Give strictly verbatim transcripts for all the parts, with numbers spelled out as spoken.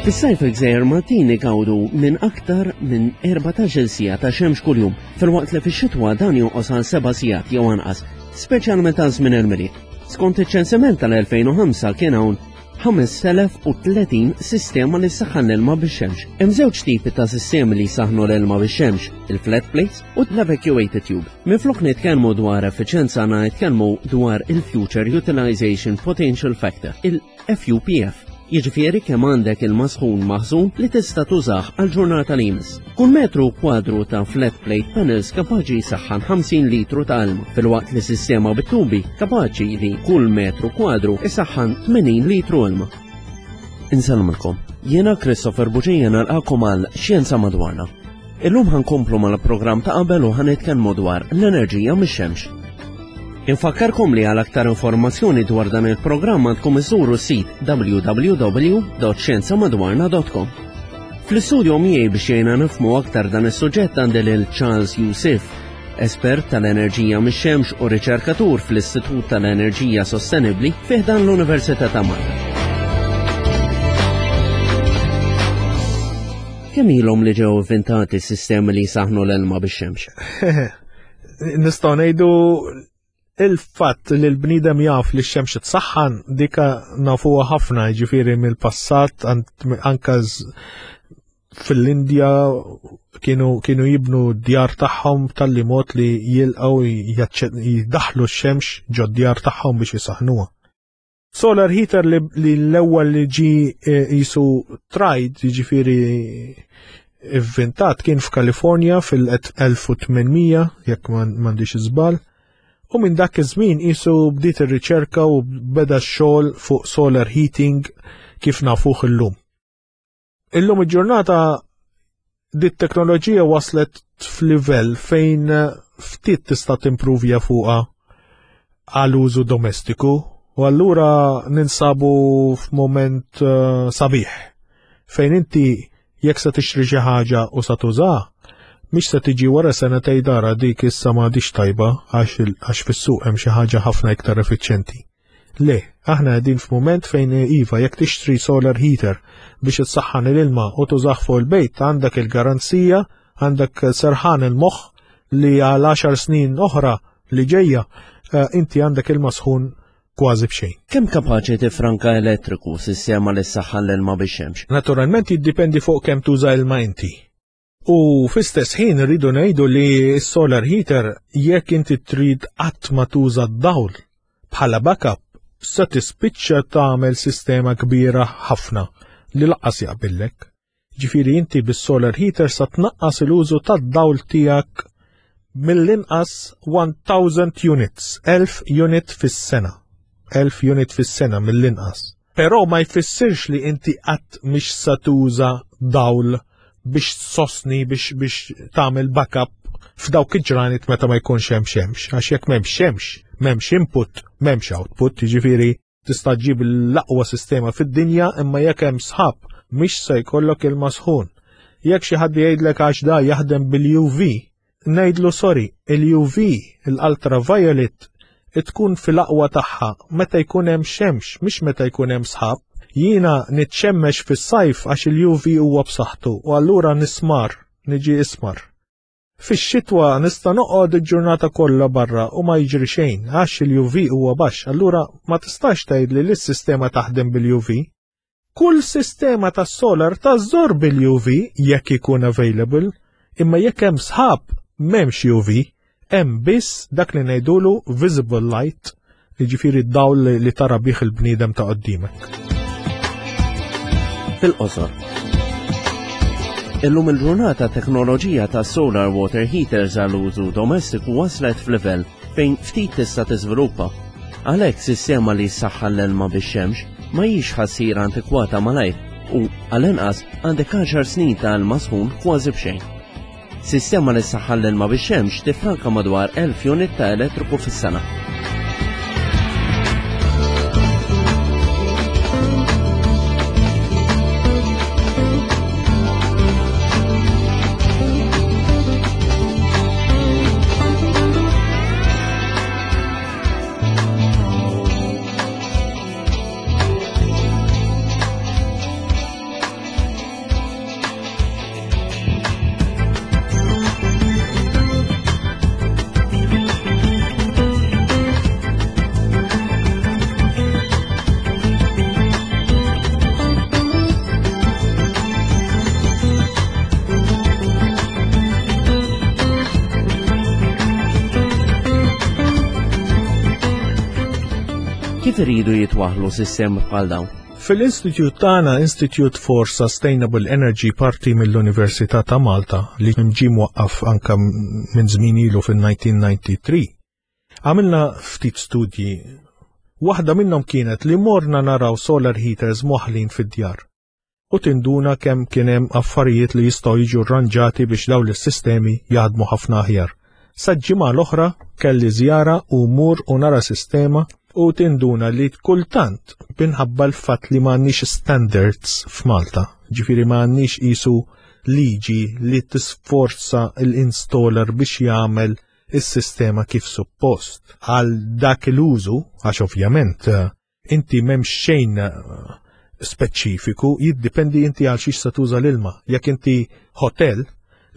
Fis-sajf il-Gżejjer Maltin igawdu minn aktar minn erbatax-il siegħa ta' xemx kuljum, filwaqt li fix-xitwa dan jonqos għal seba' sigħat jew anqas, speċjalment għal żmien il-Milied. Skont iċ-ċensiment tal-elfejn u ħamsa kien hawn ħames elef u tletin sistema li saħħan l-ilma bix-xemx. Hemm żewġ tipi ta' sistemi li jsaħħnu l-ilma bix-xemx, il-flat plates u l-evacuated tube. Minflok nitkellmu dwar effiċenza għandna nitkellmu dwar il-Future Utilization Potential Factor, il-F U P F. Jiġifieri kemm għandek ilma sħun maħżun li tista' tużah għal ġurnata li jmiss. Kull metru kwadru ta' flat plate panels kapaċi jsaħħan ħamsin litru ta' ilma, filwaqt li sistema bit-tubi kapaċi li kull metru kwadru isaħħan tmenin litru ilma. Insellmilkom, jiena Christopher Bugeja nalqakom għal Xjenza Madwarna. Illum ħankomplu mal-programm ta' qabel u ħanitkellmu dwar l-enerġija mix-xemx. Infakkarkom li għal aktar informazzjoni dwar dan il-programm għandkom iżuru s-sit w w w dot xjenza madwarna dot com. Fl-istudio miegħi biex jgħinna nifhmu aktar dan is-suġġett għandi lil Charles Youssef, espert tal-enerġija mix-xemx u riċerkatur fl-Istitut tal-Enerġija Sostenibbli fi ħdan l-Università ta' Malta. Kemm ilhom li ġew inventati s-sistemi li jsaħħnu l-ilma bix-xemx? Nistgħu ngħidu il-fatt li l-bniedem jaf li x-xemx tsaħħan dika nafuha ħafna, jiġifieri mill-passat, anka z-, fil-Indja kienu, kienu jibnu d-djar tagħhom tal-li mod li jilqgħu jaċċe-, jidaħlu x-xemx ġod djar tagħhom biex jisaħnuha. Solar heater li, li l-ewwel li ġi, eh, jisu tried, jiġifieri ivvintat, kien f'Kalifornja fil-elf u tmenmija, jekk ma m'għandix iżball. U minn dak iż-żmien qisu bdiet ir-riċerka u beda x-xogħol fuq solar heating kif nafuh illum. Illum il-ġurnata dit teknoloġija waslet f'livell fejn ftit tista' timpruvja fuqha għal użu domestiku u allura ninsabu f'mument, eh, sabiħ fejn inti jekk se tixtri xi ħaġa u sa tużaha, mhix se tiġi wara sena tgħid ara dik issa m'għadix tajba għax il-, għax fis-suq hemm xi ħaġa ħafna iktar effiċjenti. Le, aħna qegħdin f'mument fejn iva jekk tixtri solar heater biex issaħħan l-ilma u tużah fuq il-bejt għandek il-garanzija, għandek serħan il-moħħ li għal għaxar snin oħra li ġejja, eh, inti għandek ilma sħun kważi b'xejn. Kemm kapaċi tifranka elettriku sistema li ssaħħan l-ilma bix-xemx? Naturalment jiddipendi fuq kemm tuża ilma inti. U fl-istess ħin rridu ngħidu li s-solar heater jekk inti trid qatt ma tuża d-dawl bħala backup se tispiċċa tagħmel sistema kbira ħafna li lanqas jaqbillek. Ġifieri inti bis-solar heater sa tnaqqas il-użu tad-dawl tiegħek mill-inqas one thousand units, elf unit fis-sena. Elf unit fis-sena mill-inqas. Però ma jfissirx li inti qatt mhix sa tuża dawl biex tsostni, biex, biex tagħmel backup f'dawk il-ġranet meta ma jkunx hemm xemx, għax jekk m'hemmx xemx, m'hemmx input, m'hemmx output, jiġifieri tista' ġġib l-aqwa sistema fid-dinja imma jekk hemm sħab mhix se jkollok ilma sħun. Jekk xi ħadd jgħidlek għax da jaħdem bil-U V, ngħidlu sorry, il-U V, l-ultraviolet, tkun fil-aqwa tagħha meta jkun hemm xemx, mhix meta jkun hemm sħab. Jiena nitxemmex fis-sajf għax il-U V huwa b'saħħtu u allura nismar, niġi ismar. Fix-xitwa nista' noqgħod il-ġurnata kollha barra u ma jiġri xejn għax il-U V huwa baxx, allura ma tistax tgħidli li s-sistema taħdem bil-U V. Kull sistema tas-solar tażżor bil-U V jekk ikun available, imma jekk hemm sħab m'hemmx U V, hemm biss dak li ngħidulu visible light, jiġifieri d-dawl li, li tara bih il-bniedem ta' qudiemek. Fil-qosor. Illum il-ġurnata teknoloġija ta' solar water heaters għal użu domestiku waslet f'livell fejn ftit tista' tiżviluppa. Għalhekk sistema li ssaħħan l-ilma bix-xemx ma hijiex ħassir antikwata malajr u għall-inqas għandek għaxar snin ta' ilma sħun kważi b'xejn. Sistema li ssaħħan l-ilma bix-xemx tifranka madwar elf unit ta' elettriku fis-sena. Kif iridu jitwaħlu sistemi bħal dawn? Fil-istitut tagħna, Institute for Sustainable Energy, parti mill-Università ta' Malta, li ġie mwaqqaf anka minn żmien ilu fil-elf disa' mija u tnejn u disgħin, għamilna ftit studji. Waħda minnhom kienet li morna naraw solar heaters mwaħħlin fid-djar. U tinduna kemm kien hemm affarijiet li jistgħu jiġu rranġati biex dawn is-sistemi jaħdmu ħafna aħjar. Sa ġimgħa l-oħra kelli żjara u mur u nara sistema u tinduna li kultant minħabba l-fatt li m'għandniex standards f'Malta, ġifieri m'għandniex isu liġi li tisforza l-installer biex jagħmel is-sistema kif suppost. Għal dak l-użu, għax ovvjament eh, inti m'hemmx xejn eh, speċifiku, jiddipendi inti għal xiex se tuża l-ilma. Jekk inti hotel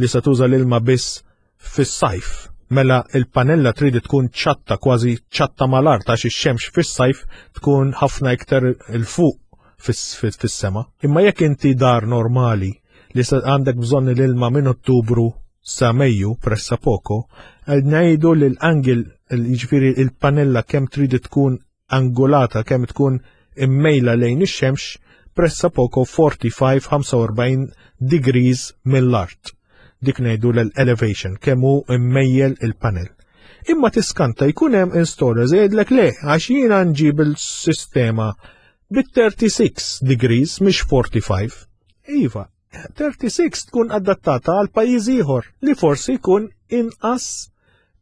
li se tuża l-ilma biss fis-sajf, mela il-panella trid tkun ċatta, kważi ċatta mal-art, għax ix-xemx fis-sajf tkun ħafna iktar 'il fuq fis-sema. Imma jekk inti dar normali li għandek bżonn l-ilma minn Ottubru sa Mejju pressa poco, ngħidu li l-angle, jiġifieri il-panella kemm trid tkun angolata, kemm tkun immejla lejn ix-xemx, pressa poco quaranta-cinque degrees mill-art. Dik ngħidu l-elevation, kemm hu immejjel il-panel. Imma tiskanta jkun hemm installers jgħidlek le, għax jiena nġib il-sistema bit-thirty-six degrees mhix forty-five. Iva, thirty-six tkun adattata għal pajjiż ieħor li forsi jkun inqas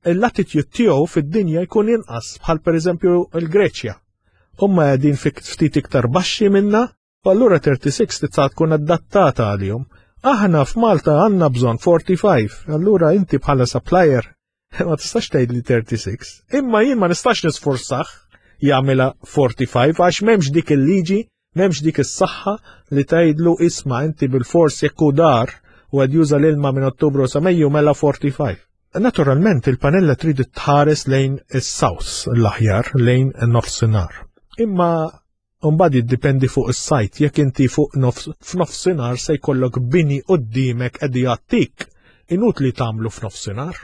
il-latitude tiegħu fid-dinja jkun inqas, bħal pereżempju l-Greċja. Huma qegħdin ftit iktar baxxi minna, u allura thirty-six tista' tkun adattata għalihom. Aħna f'Malta għandna bżonn forty-five, allura inti bħala supplier ma tistax tgħid li thirty-six. Imma jien ma nistax nisforzah jagħmilha forty-five għax m'hemmx dik il-liġi, m'hemmx dik is-saħħa li tgħidlu isma' inti bil-fors jekk hu dar u qed juża l-ilma minn Ottubru sa Mejju mela forty-five. Naturalment il-panella trid tħares lejn is-south l-aħjar, lejn nofsinhar. Imma mbagħad jiddipendi fuq is-sajt, jekk inti fuq f'nofsinhar se jkollok bini quddiemek qed jgħattik, inutli tagħmlu f'nofsinhar.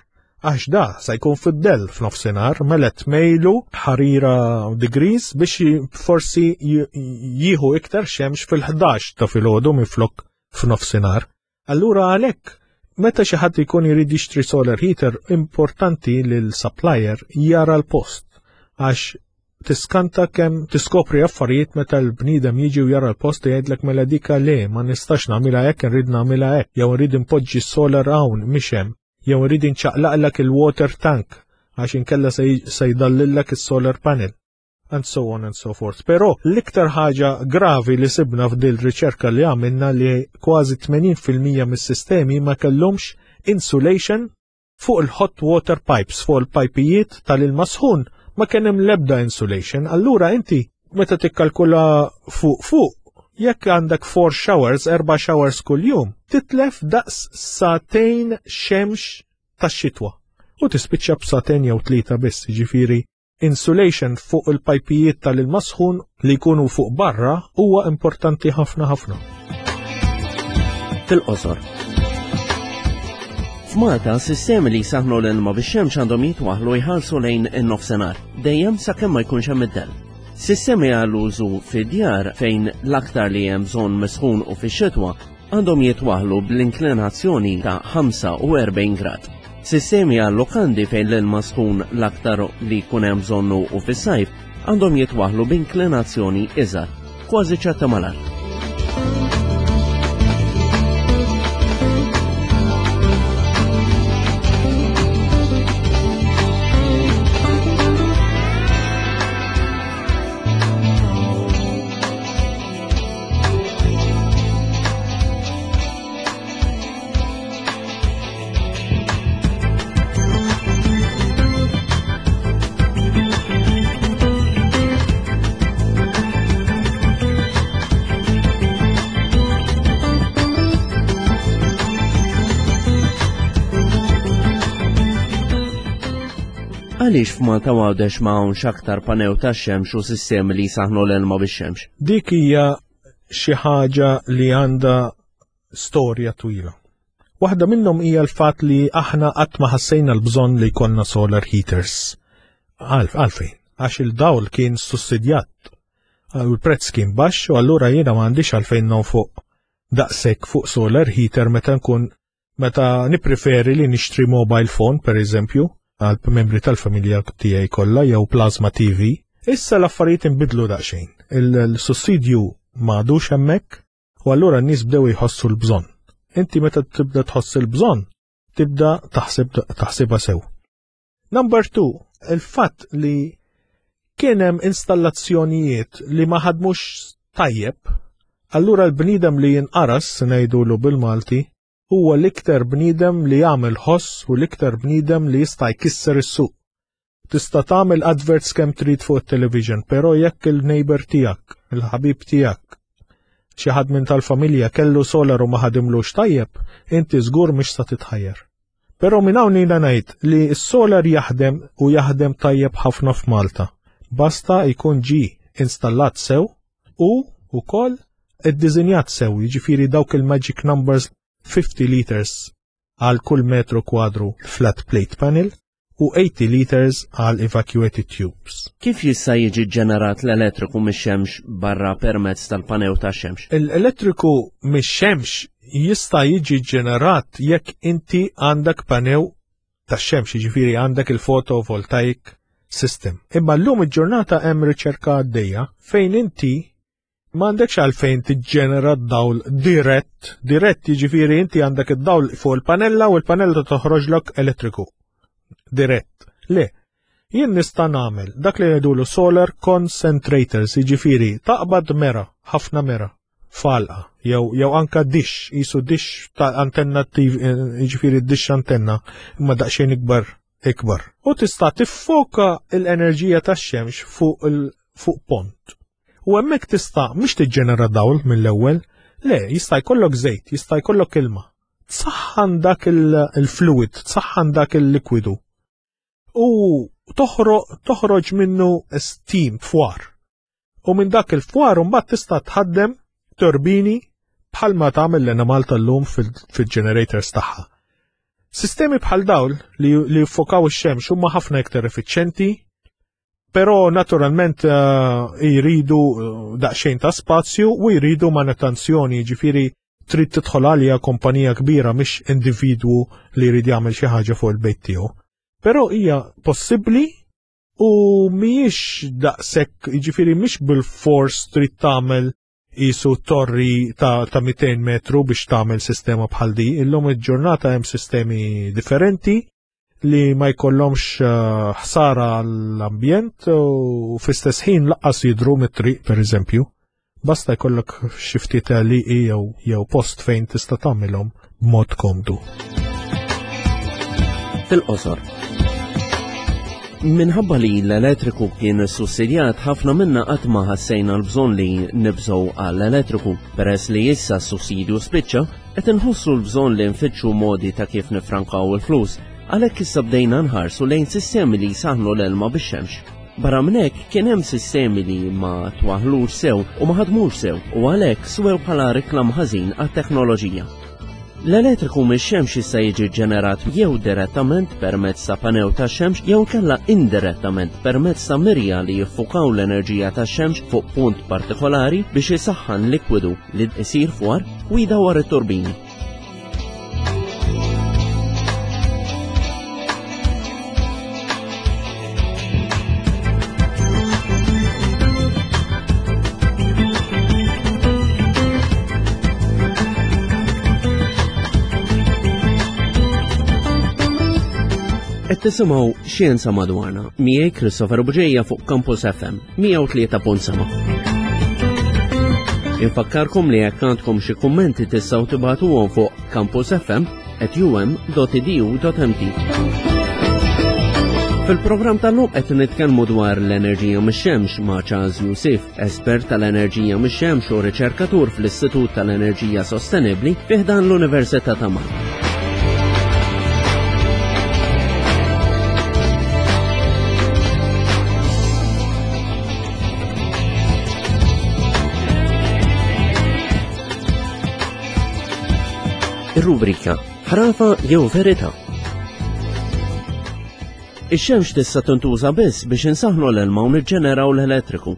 Għax da se jkun fid-dell f'nofsinhar, mela tmejlu ħarira degrees biex forsi jieħu iktar xemx fil-ħdax ta' filgħodu minflok f'nofsinhar. Allura għalhekk meta xi ħadd ikun jrid jixtri solar heater, importanti li l-supplier jara l-post, għax tiskanta kemm tiskopri affarijiet meta l-bniedem jiġi u jara l-post u jgħidlek mela dika le, ma nistax nagħmilha hekk, nrid nagħmilha hekk, jew nrid inpoġġi solar hawn mhix hemm, jew nrid inċaqlaqlek il-water tank għax inkella se jdallillek is-solar panel, and so on and so forth. Però l-iktar ħaġa gravi li sibna f'dil riċerka li għamilna li kważi tmenin fil-mija mis-sistemi ma kellhomx insulation fuq il-hot water pipes, fuq il-pajpijiet tal-ilma sħun ma kien hemm l-ebda insulation. Allura inti meta tikkalkula fuq fuq, jekk għandek four showers, erba' showers kuljum, titlef daqs sagħtejn xemx tax-xitwa. U tispiċċa b'sagħtejn jew tlieta biss, ġifieri insulation fuq il-pajpijiet tal-ilma sħun li jkunu fuq barra huwa importanti ħafna ħafna. Fil-qosor. F'Malta, sistemi li jsaħnu l-ilma bix-xemx għandhom jitwaħlu jħarsu lejn in-nofsinhar, dejjem sakemm ma jkunx hemm id-dell. Sistemi għall-użu fid-djar fejn l-aktar li hemm bżonn misħun u fix-xitwa għandhom jitwaħlu bl-inklinazzjoni ta' ħamsa u erbgħin grad. Sistemi għal lokandi fejn l-ilma sħun l-aktar li jkun hemm bżonnu u fis-sajf għandhom jitwaħlu b'inklinazzjoni iżgħar, kważi ċatta mal-art. Għaliex f'Malta Għawdex ma hawnx aktar panew tax-xemx u sistemi li jsaħnu l-ilma bix-xemx? Dik hija xi ħaġa li għandha storja twila. Waħda minnhom hija l-fatt li aħna qatt ma ħassejna l-bżonn li jkollna solar heaters. Għalf, għalfejn, għax il-dawl kien sussidjat. U l-prezz kien baxx u allura jiena m'għandix għalfejn nonfoq daqshekk fuq solar heater meta nkun meta nippreferi li nixtri mobile phone per eżempju għal membri tal-familja tiegħi kollha jew plasma T V. Issa l-affarijiet inbidlu daqsxejn. Il-sussidju m'għadux hemmhekk u allura n-nies bdew jħossu l-bżonn. Inti meta tibda tħoss il-bżonn, tibda taħseb taħsibha sew. Number two, il-fatt li kien hemm installazzjonijiet li ma ħadmux tajjeb, allura l-bniedem li jinqaras, ngħidulu bil-Malti, huwa l-iktar bniedem li jagħmel ħoss u l-iktar bniedem li jista' jkisser is-suq. Tista' tagħmel adverts kemm trid fuq it-television, però jekk il-neighbor tiegħek, il-ħabib tiegħek, xi ħadd minn tal-familja kellu solar u ma ħadimlux tajjeb, inti żgur mhix sa titħajjar. Però minn hawn jiena ngħid li s-solar jaħdem u jaħdem tajjeb ħafna f'Malta. Basta jkun ġi installat sew u wkoll iddiżinjat sew, jiġifieri dawk il-magic numbers fifty liters għal kull metru kwadru flat plate panel u eighty liters għal evacuated tubes. Kif jista' jiġi ġenerat l-elettriku mix-xemx barra permezz tal-panew tax-xemx? L-elettriku mix-xemx jista' jiġi ġenerat jekk inti għandek panew tax-xemx, jiġifieri għandek il-photovoltaic system. Imma llum il-ġurnata hemm riċerka għaddejja fejn inti m'għandekx għalfejn tiġġenera d-dawl dirett, dirett jiġifieri inti għandek id-dawl fuq il-panella u l-panella toħroġlok elettriku. Dirett. Le, jien nista' nagħmel dak li ngħidulu solar concentrators, jiġifieri taqbad mera, ħafna mera, falqa, jew jew anka dish, jisu dish ta' antenna T V, jiġifieri dish antenna, imma daqsxejn ikbar ikbar. U tista' tiffoka l-enerġija tax-xemx fuq il-, fuq pont. U hemmhekk tista' mhux tiġġenera dawl mill-ewwel, le, jista' jkollok żejt, jista' jkollok ilma. Tsaħħan dak il-, il-fluid, tsaħħan dak il-likwidu. U toħro-, toħroġ minnu steam, fwar. U minn dak il-fwar mbagħad tista' tħaddem turbini bħalma tagħmel l-Enemalta llum fil-, fil-generators tagħha. Sistemi bħal dawl li, li jiffokaw ix-xemx huma ħafna iktar effiċjenti, però naturalment, eh, jridu, eh, daqsxejn ta' spazju u jridu manutenzjoni, jiġifieri trid tidħol għalija kumpanija kbira mhix individwu li jrid jagħmel xi ħaġa fuq il-bejt tiegħu. Però hija possibbli u mhijiex daqshekk, jiġifieri mhix bil-fors trid tagħmel qisu torri ta', ta' mitejn metru biex tagħmel sistema bħal di. Illum il-ġurnata hemm sistemi differenti li ma jkollhomx, eh, ħsara għall-ambjent u fl-istess ħin laqqas jidhru mit-triq pereżempju. Basta jkollok xi ftit għalieqi jew, jew post fejn tista' tagħmilhom b'mod komdu. Fil-qosor. Minħabba li l-elettriku kien sussidjat, ħafna minna qatt ma ħassejna l-bżonn li nibżgħu għall-elettriku. Peress li issa s-sussidju spiċċa, qed inħossu l-bżonn li nfittxu modi ta' kif nifrankaw il-flus. Għalhekk issa bdejna nħarsu lejn sistemi li jsaħħnu l-ilma bix-xemx. Barra minn hekk kien hemm sistemi li ma twaħlux sew u ma ħadmux sew u għalhekk swew bħala reklam ħażin għat-teknoloġija. L-elettriku mix-xemx issa jiġi ġenerat jew direttament permezz ta' panew tax-xemx jew kella indirettament permezz ta' mirja li jiffukaw l-enerġija tax-xemx fuq punt partikolari biex isaħħan likwidu li jsir fwar u jdawwar it-turbini. Qed tisimgħu Xjenza Madwarna miegħi Christopher Bugeja fuq Campus F M mija u tlieta punt seba'. Infakkarkom li jekk għandkom xi kummenti tistgħu tibagħtuhom fuq campus f m at u m dot e d u dot m t. Fil-programm tal-lum qed nitkellmu dwar l-enerġija mix-xemx ma' Charles Youssef, espert tal-enerġija mix-xemx u riċerkatur fl-Istitut tal-Enerġija Sostenibbli fi ħdan l-Università ta' Malta. Ir-rubrika Ħrafa jew Verità. Ix-xemx tista' tintuża biss biex insaħħnu l-ilma u niġġeneraw l-elettriku.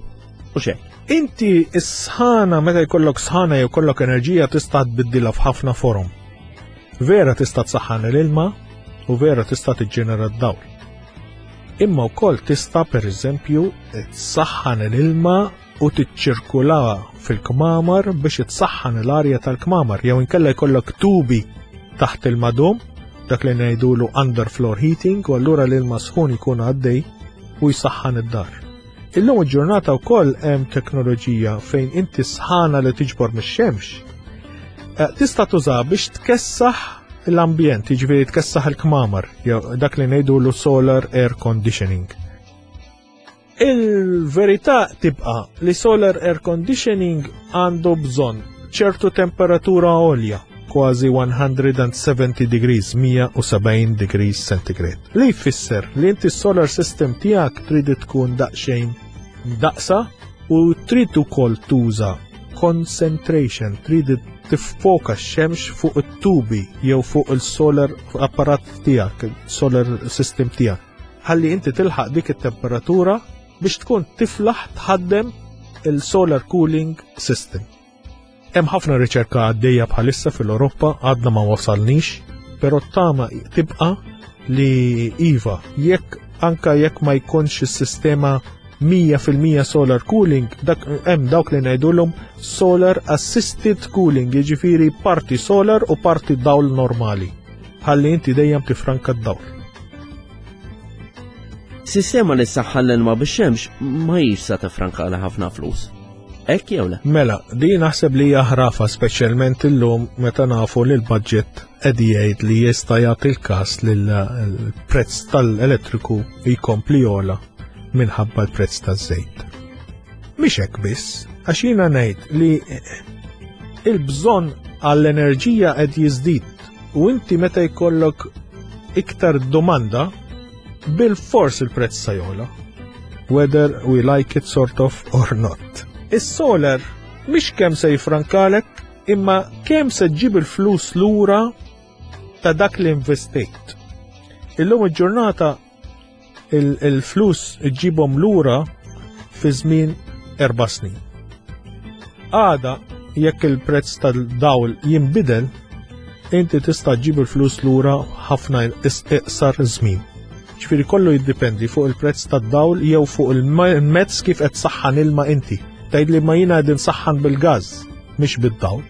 U xejn. Inti s-sħana, meta jkollok sħana jew jkollok enerġija, tista' tbiddilha f'ħafna forom. Vera tista' tsaħħan l-ilma u vera tista' tiġġenera d-dawl. Imma wkoll tista' pereżempju tsaħħan l-ilma u tiċċirkula fil-kmamar biex tsaħħan l-arja tal-kmamar, jew inkella jkollok tubi taħt il-madum, dak li ngħidulu underfloor heating, u allura l-ilma sħun ikun għaddej u jsaħħan id-dar. Illum il-ġurnata wkoll hemm teknoloġija fejn inti sħana li tiġbor mix-xemx eh, tista' tuża biex tkessaħ l-ambjent, jiġifieri tkessaħ il-kmamar, jew dak li ngħidulu solar air conditioning. Il-verità tibqa' li solar air conditioning għandu bżonn ċertu temperatura għolja, kważi one hundred seventy degrees, mija u sebgħin degrees centigrade. Li jfisser li inti solar system tiegħek trid tkun daqsxejn daqsa u trid ukoll tuża concentration, trid tiffoka x-xemx fuq it-tubi jew fuq il-solar apparat tiegħek, il-solar system tiegħek. Ħalli inti tilħaq dik it-temperatura biex tkun tiflaħ tħaddem il-solar cooling system. Hemm ħafna riċerka għaddejja bħalissa fil-Ewropa, għadna ma wasalnix, però tama tibqa li iva, jekk anka jekk ma jkunx is-sistema mija fil-mija solar cooling, dak hemm dawk li ngħidulhom solar assisted cooling, jiġifieri parti solar u parti dawl normali. Ħalli inti dejjem tifranka d-dawl. Sistema li ssaħħan l-ilma bix-xemx ma hijiex sa tifranka għal ħafna flus. Hekk jew le? Mela, di naħseb li hija ħrafa, speċjalment illum meta nafu li l-budget qed jgħid li jista' jagħti l-każ li l-prezz tal-elettriku jkompli jogħla minħabba l-prezz taż-żejt. Mhix hekk biss, għax jiena ngħid li il-bżonn għall-enerġija qed jiżdied u inti meta jkollok iktar domanda, bil-fors il-prezz sa jogħla. Whether we like it sort of or not. Is-solar mhix kemm se jifrankalek, imma kemm se ġġib il-flus lura ta' dak li investejt. Illum il-ġurnata il-flus ġġibhom lura fi żmien erba' snin. Għada, jekk il-prezz tal-dawl jinbidel, inti tista' ġġib il-flus lura ħafna iqsar żmien. Ġifieri kollu jiddependi fuq il-prezz tad-dawl jew fuq il-mezz kif qed saħħan ilma inti. Tgħid li ma jiena qegħdin saħħan bil-gaż, mhix bid-dawl.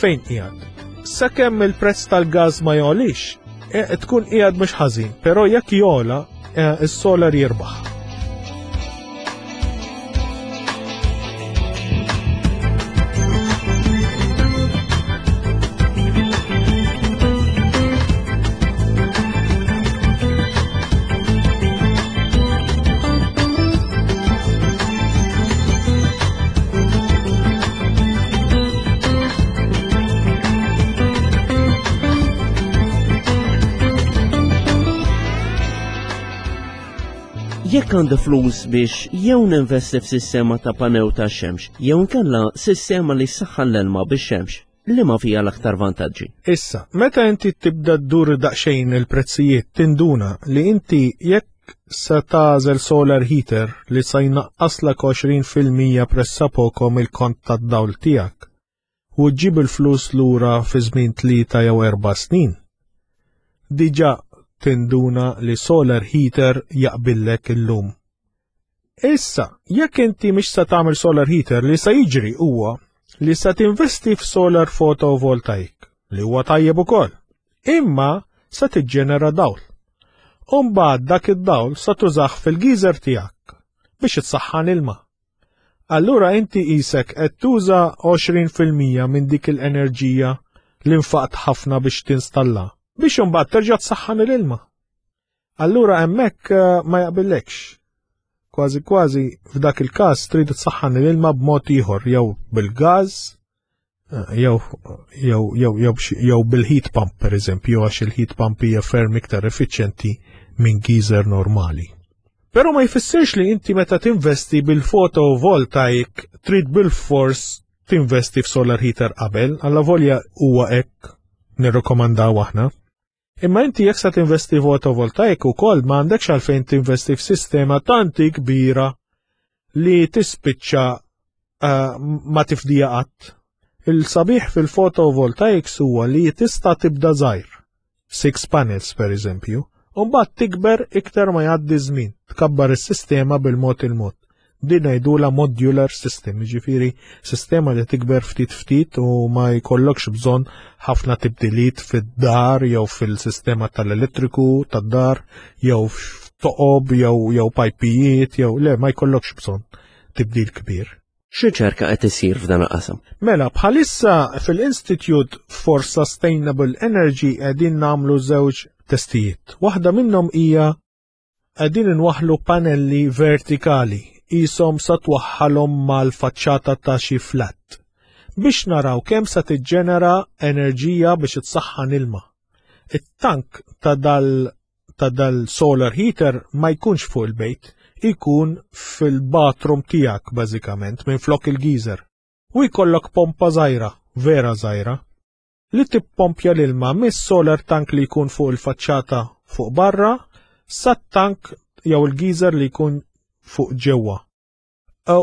Fejn qiegħed? Sakemm il-prezz tal-gaż ma jogħlix, e, tkun qiegħed mhux ħażin, però jekk jogħla, e, is-solar jirbaħ. Jekk għandi flus biex jew ninvesti f'sistema ta' panew ta' xemx, jew inkella sistema li ssaħħan l-ilma bix-xemx, li ma fija l-aktar vantaġġi? Issa, meta inti tibda ddur daqsxejn il-prezzijiet, tinduna li inti jekk se tagħżel solar heater li sa jnaqqaslek għoxrin fil-mija pressapoko mill-kont tad-dawl tiegħek u ġġib il-flus lura fi żmien tlieta jew erba' snin. Diġà tinduna li solar heater jaqbillek illum. Issa, jekk inti mhix se tagħmel solar heater, li se jiġri huwa li se tinvesti f'solar photovoltaic, li huwa tajjeb ukoll. Imma se tiġġenera dawl. U mbagħad dak id-dawl sa tużah fil-geyser tiegħek biex itsaħħan ilma. Allura inti qisek qed tuża għoxrin fil-mija minn dik l-enerġija li nfaqt ħafna biex tinstalla biex imbagħad terġa' tsaħħan l-ilma. Allura hemmhekk eh, ma jaqbillekx. Kważi kważi f'dak il-każ trid tsaħħan l-ilma b'mod ieħor, jew bil-gaż eh, jew jew jew jew jew bil-heat pump pereżempju, għax il-heat pump hija ferm iktar effiċjenti minn geyser normali. Però ma jfissirx li inti meta tinvesti bil-photovoltaic trid bil-fors tinvesti f'solar heater qabel, alla volja huwa hekk nirrekomandaw aħna. Imma inti jekk sa tinvesti fotovoltaik ukoll m'għandekx għalfejn tinvesti f'sistema tanti kbira li tispiċċa uh, ma tifdija qatt. Il-sabiħ fil-photovoltaics huwa li tista' tibda żgħir, six panels per eżempju, u mbagħad tikber iktar ma jgħaddi żmien, tkabbar is-sistema bil-mod il-mod. Din ngħidulha modular system, jiġifieri sistema li tikber ftit ftit u ma jkollokx bżonn ħafna tibdiliet fid-dar jew fil-sistema tal-elettriku tad-dar jew f'toqob jew jew pajpijiet jew le ma jkollokx bżonn tibdil kbir. X'riċerka qed isir f'dan il-qasam? Mela, bħalissa fil-Institute for Sustainable Energy qegħdin nagħmlu żewġ testijiet. Waħda minnhom hija qegħdin inwaħħlu panelli vertikali qishom sa twaħħalhom mal-faċċata ta' xi flat biex naraw kemm sa tiġġenera enerġija biex itsaħħan ilma. It-tank ta' dal ta' dal solar heater ma jkunx fuq il-bejt, ikun fil-bathroom tiegħek bażikament minn flok il-geyser. U jkollok pompa żgħira, vera żgħira, li tippompja l-ilma mis-solar tank li jkun fuq il-faċċata fuq barra sat-tank jew il-geyser li jkun fuq ġewwa.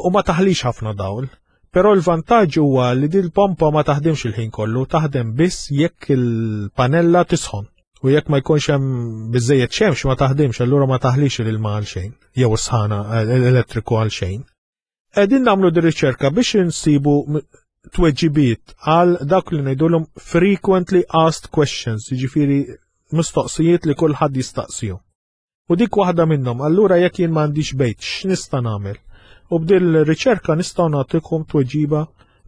U ma taħlix ħafna dawl, però l-vantaġġ huwa li din il-pompa ma taħdimx il-ħin kollu, taħdem biss jekk il-panella tisħon. U jekk ma jkunx hemm biżejjed xemx ma taħdimx, allura ma taħlix l-ilma għal xejn, jew is-sħana l-elettriku għal xejn. Qegħdin nagħmlu di riċerka biex insibu tweġibiet għal dak li ngħidulhom frequently asked questions, jiġifieri mistoqsijiet li kulħadd jistaqsihom. U dik waħda minnhom, allura jekk jien m'għandix bejt, x'nista' nagħmel? U b'dil riċerka nistgħu nagħtikom tweġiba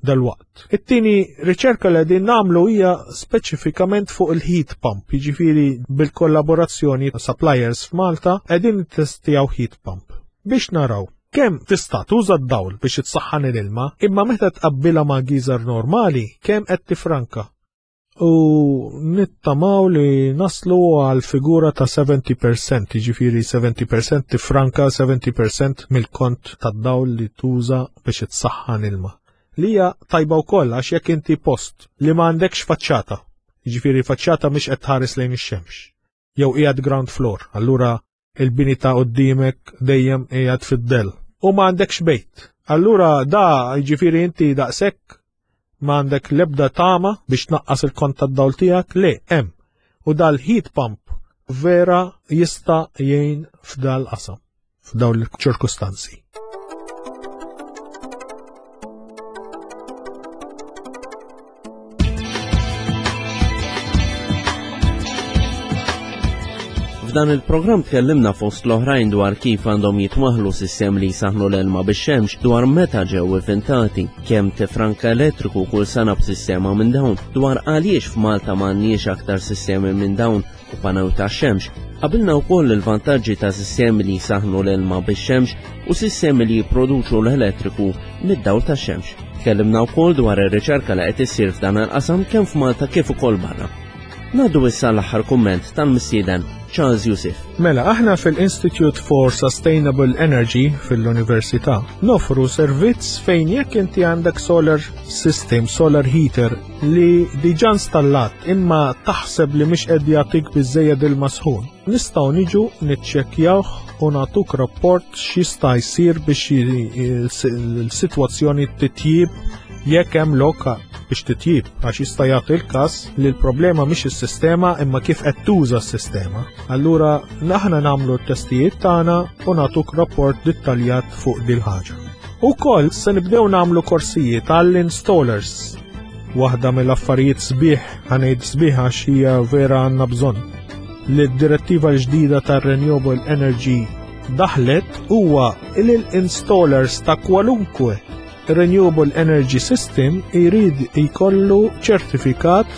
dal-waqt. It-tieni riċerka li qegħdin nagħmlu hija speċifikament fuq il-heat pump, jiġifieri bil-kollaborazzjoni ta' suppliers f'Malta qegħdin nittestjaw heat pump biex naraw kemm tista' tuża d-dawl biex itsaħħan l-ilma, imma meta tqabbilha ma' geyser normali kemm qed tifranka. U nittamaw li naslu għal figura ta' sebgħin fil-mija, jiġifieri sebgħin fil-mija tifranka sebgħin fil-mija mill-kont tad-dawl li tuża biex itsaħħan ilma. Li hija tajba wkoll għax jekk inti post li m'għandekx faċċata, jiġifieri faċċata mhix qed tħares lejn ix-xemx, jew qiegħed ground floor, allura il-bini ta' qudiemek dejjem qiegħed fid-dell u ma għandekx bejt. Allura da jiġifieri inti daqshekk ma għandek l-ebda tama biex tnaqqas il-kont tad-dawl tiegħek, le hemm. U dal-heat pump vera jista' jgħin f'dal qasam, f'dawn il-ċirkustanzi. F'dan il-programm tkellimna fost l-oħrajn dwar kif għandhom jitwaħlu sistemi li jsaħnu l-ilma bix-xemx, dwar meta ġew ivvintati, kemm tifranka elettriku kull sena b'sistema minn dawn, dwar għaliex f'Malta m'għandniex aktar sistemi minn dawn u panew ta' xemx. Qabilna wkoll il-vantaġġi ta' sistemi li jsaħnu l-ilma bix-xemx u sistemi li jipproduċu l-elettriku mid-dawl ta' xemx. Tkellimna wkoll dwar ir-riċerka li qed issir f'dan il-qasam kemm f'Malta kif ukoll barra. Ngħaddu issa l-aħħar kumment tal-mistieden Charles Youssef. Mela, aħna fil-Institute for Sustainable Energy fil-Università nofru servizz fejn jekk inti għandek solar system, solar heater li diġà installat imma taħseb li mhix qed jagħtik biżejjed il-masħun. Nistgħu niġu niċċekkjawh u nagħtuk rapport x'jista' jsir biex il-sitwazzjoni titjib jekk hemm lok biex titjib, għax jista' jagħti l-każ li l-problema mhix is-sistema imma kif qed tuża s-sistema. Allura aħna nagħmlu t-testijiet tagħna u nagħtuk rapport dettaljat fuq dil ħaġa. Ukoll se nibdew nagħmlu korsijiet għall-installers. Waħda mill-affarijiet sbieħ, ħa ngħid sbieħ għax hija vera għandna bżonn, li d-direttiva l-ġdida tar-Renewable Energy daħlet huwa li l-installers ta' kwalunkwe Renewable Energy System jrid jkollu ċertifikat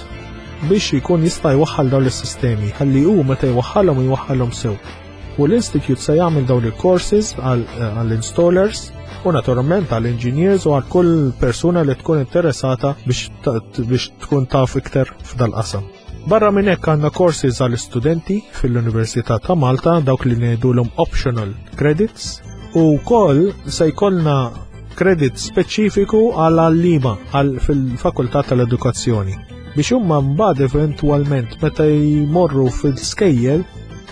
biex jkun jista' jwaħħal dawn is-sistemi, ħalli hu meta jwaħħalhom jwaħħalhom sew. U l-Institute se jagħmel dawn il-courses għall-installers u naturalment għall-engineers u għal kull persuna li tkun interessata biex biex tkun taf iktar f'dal-qasam. Barra minn hekk għandna courses għall-istudenti fil-Università ta' Malta, dawk li ngħidulhom optional credits, u wkoll se jkollna kredit speċifiku għal għallima għal fil-Fakultà tal-Edukazzjoni. Biex huma mbagħad eventwalment meta jmorru fil-skejjel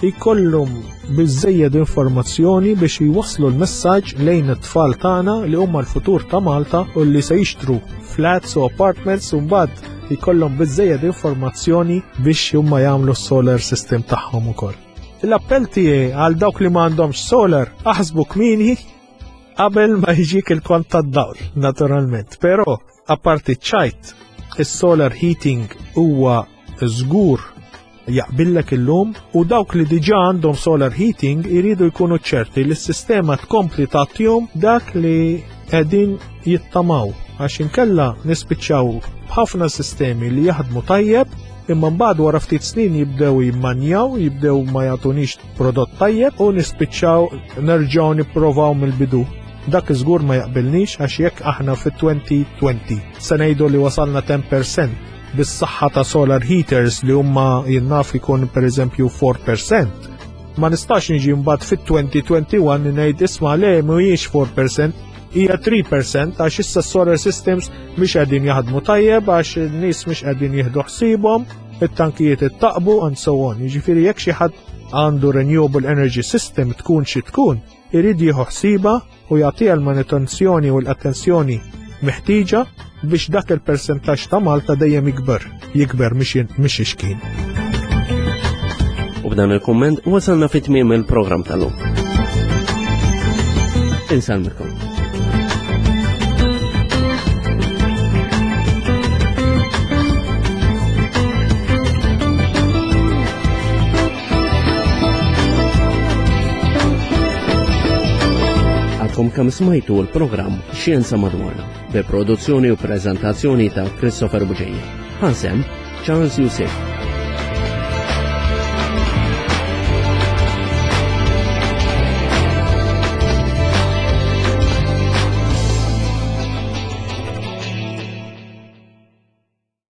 jkollhom biżejjed informazzjoni biex jwasslu l-messaġġ lejn it-tfal tagħna li huma l-futur ta' Malta u li se jixtru flats u apartments u mbagħad jkollhom biżejjed informazzjoni biex huma jagħmlu s-solar system tagħhom ukoll. L-appell tiegħi għal dawk li m'għandhomx solar, aħsbu kmieni qabel ma jiġik il-kont tad-dawl, naturalment. Però apparti ċajt, is-solar heating huwa żgur jaqbillek illum u dawk li diġà għandhom solar heating iridu jkunu ċerti li s-sistema tkompli tagħtihom dak li qegħdin jittamaw, għax inkella nispiċċaw b'ħafna sistemi li jaħdmu tajjeb imma mbagħad wara ftit snin jibdew jimmanjaw, jibdew ma jagħtunix prodott tajjeb u nispiċċaw nerġgħu nipprovaw mill-bidu. Dak iżgur ma jaqbilnix, għax jekk aħna fit-elfejn u għoxrin se ngħidu li wasalna għaxra fil-mija bis-saħħa ta' solar heaters li huma jinnaf ikun pereżempju erbgħa fil-mija, ma nistax niġi mbagħad fit-elfejn u wieħed u għoxrin ngħid, "Isma' le, mhuwiex erbgħa fil-mija, hija tlieta fil-mija, għax issa solar systems mhix qegħdin jaħdmu tajjeb għax in-nies mhux qegħdin jieħdu ħsiebhom, it-tankijiet ittaqbu," and so on. Jiġifieri jekk xi ħadd għandu renewable energy system, tkun xi tkun, irid jieħu ħsiebha u jagħtiha l-manutenzjoni u l-attenzjoni meħtieġa biex dak il-persentaġġ ta' Malta dejjem jikber, jikber mhix ixkien. U b'dan il-komment wasalna fit tmiem il-programm tal-lum. Insellmilkom. Għadkom kemm smajtu l-programm Xjenza Madwarna bi produzzjoni u prezentazzjoni ta' Christopher Bugeja. Ħa sehem Charles Youssef.